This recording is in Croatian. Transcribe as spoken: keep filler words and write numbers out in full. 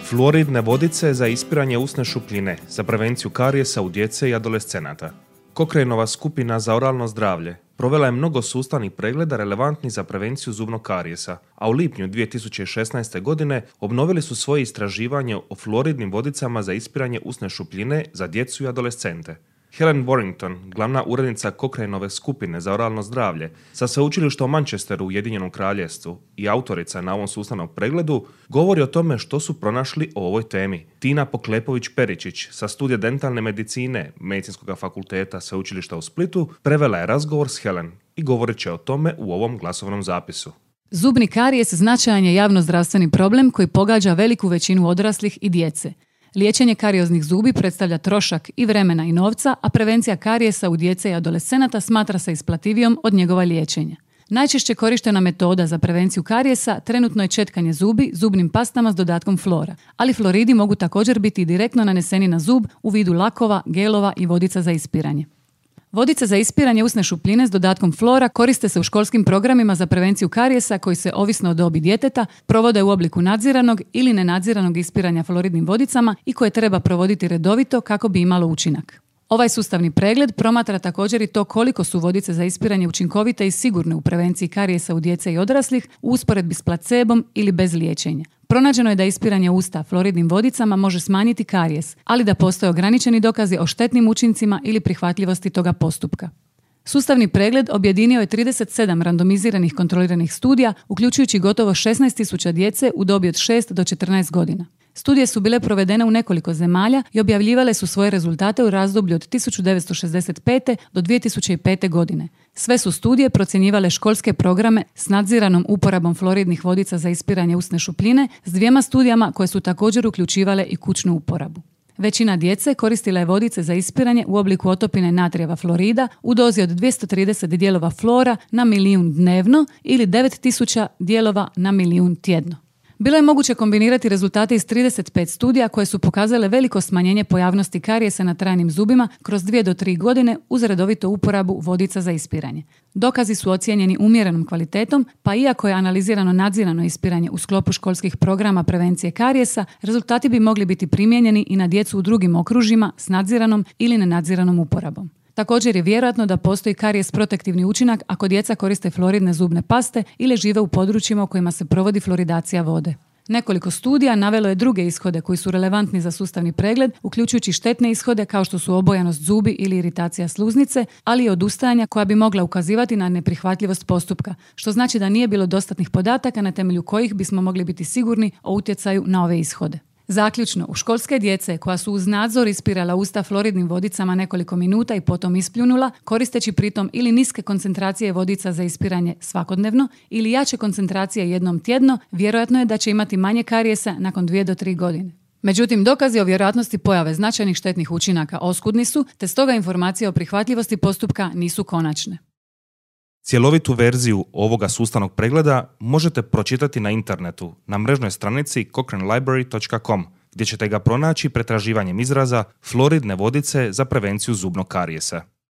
Fluoridne vodice za ispiranje usne šupljine za prevenciju karijesa u djece i adolescenata. Cochraneova skupina za oralno zdravlje provela je mnogo sustavnih pregleda relevantnih za prevenciju zubnog karijesa, a u lipnju dvije tisuće šesnaeste. godine obnovili su svoje istraživanje o fluoridnim vodicama za ispiranje usne šupljine za djecu i adolescente. Helen Warrington, glavna urednica Cochraneove skupine za oralno zdravlje sa sveučilišta u Manchesteru u Ujedinjenom Kraljevstvu i autorica na ovom sustavnom pregledu, govori o tome što su pronašli o ovoj temi. Tina Poklepović-Peričić sa studija dentalne medicine Medicinskog fakulteta sveučilišta u Splitu prevela je razgovor s Helen i govorit će o tome u ovom glasovnom zapisu. Zubni karijes značajan je javnozdravstveni problem koji pogađa veliku većinu odraslih i djece. Liječenje karijoznih zubi predstavlja trošak i vremena i novca, a prevencija karijesa u djece i adolescenata smatra se isplativijom od njegova liječenja. Najčešće korištena metoda za prevenciju karijesa trenutno je četkanje zubi zubnim pastama s dodatkom flora, ali fluoridi mogu također biti direktno naneseni na zub u vidu lakova, gelova i vodica za ispiranje. Vodice za ispiranje usne šupljine s dodatkom flora koriste se u školskim programima za prevenciju karijesa koji se, ovisno o dobi djeteta, provode u obliku nadziranog ili nenadziranog ispiranja fluoridnim vodicama i koje treba provoditi redovito kako bi imalo učinak. Ovaj sustavni pregled promatra također i to koliko su vodice za ispiranje učinkovite i sigurne u prevenciji karijesa u djece i odraslih u usporedbi s placebom ili bez liječenja. Pronađeno je da ispiranje usta fluoridnim vodicama može smanjiti karijes, ali da postoje ograničeni dokazi o štetnim učincima ili prihvatljivosti toga postupka. Sustavni pregled objedinio je trideset sedam randomiziranih kontroliranih studija, uključujući gotovo šesnaest tisuća djece u dobi od šest do četrnaest godina. Studije su bile provedene u nekoliko zemalja i objavljivale su svoje rezultate u razdoblju od tisuću devetsto šezdeset pete. do dvije tisuće pete. godine. Sve su studije procjenjivale školske programe s nadziranom uporabom fluoridnih vodica za ispiranje usne šupljine s dvijema studijama koje su također uključivale i kućnu uporabu. Većina djece koristila je vodice za ispiranje u obliku otopine natrijeva fluorida u dozi od dvjesto trideset dijelova flora na milijun dnevno ili devet tisuća dijelova na milijun tjedno. Bilo je moguće kombinirati rezultate iz trideset pet studija koje su pokazale veliko smanjenje pojavnosti karijesa na trajnim zubima kroz dvije do tri godine uz redovitu uporabu vodica za ispiranje. Dokazi su ocijenjeni umjerenom kvalitetom, pa iako je analizirano nadzirano ispiranje u sklopu školskih programa prevencije karijesa, rezultati bi mogli biti primijenjeni i na djecu u drugim okružjima s nadziranom ili nenadziranom uporabom. Također je vjerojatno da postoji karijes protektivni učinak ako djeca koriste fluoridne zubne paste ili žive u područjima u kojima se provodi fluoridacija vode. Nekoliko studija navelo je druge ishode koji su relevantni za sustavni pregled, uključujući štetne ishode kao što su obojanost zubi ili iritacija sluznice, ali i odustajanja koja bi mogla ukazivati na neprihvatljivost postupka, što znači da nije bilo dostatnih podataka na temelju kojih bismo mogli biti sigurni o utjecaju na ove ishode. Zaključno, u školske djece koja su uz nadzor ispirala usta fluoridnim vodicama nekoliko minuta i potom ispljunula, koristeći pritom ili niske koncentracije vodica za ispiranje svakodnevno ili jače koncentracije jednom tjedno, vjerojatno je da će imati manje karijesa nakon dvije do tri godine. Međutim, dokazi o vjerojatnosti pojave značajnih štetnih učinaka oskudni su, te stoga informacije o prihvatljivosti postupka nisu konačne. Cjelovitu verziju ovoga sustavnog pregleda možete pročitati na internetu na mrežnoj stranici cochrane library dot com, gdje ćete ga pronaći pretraživanjem izraza fluoridne vodice za prevenciju zubnog karijesa.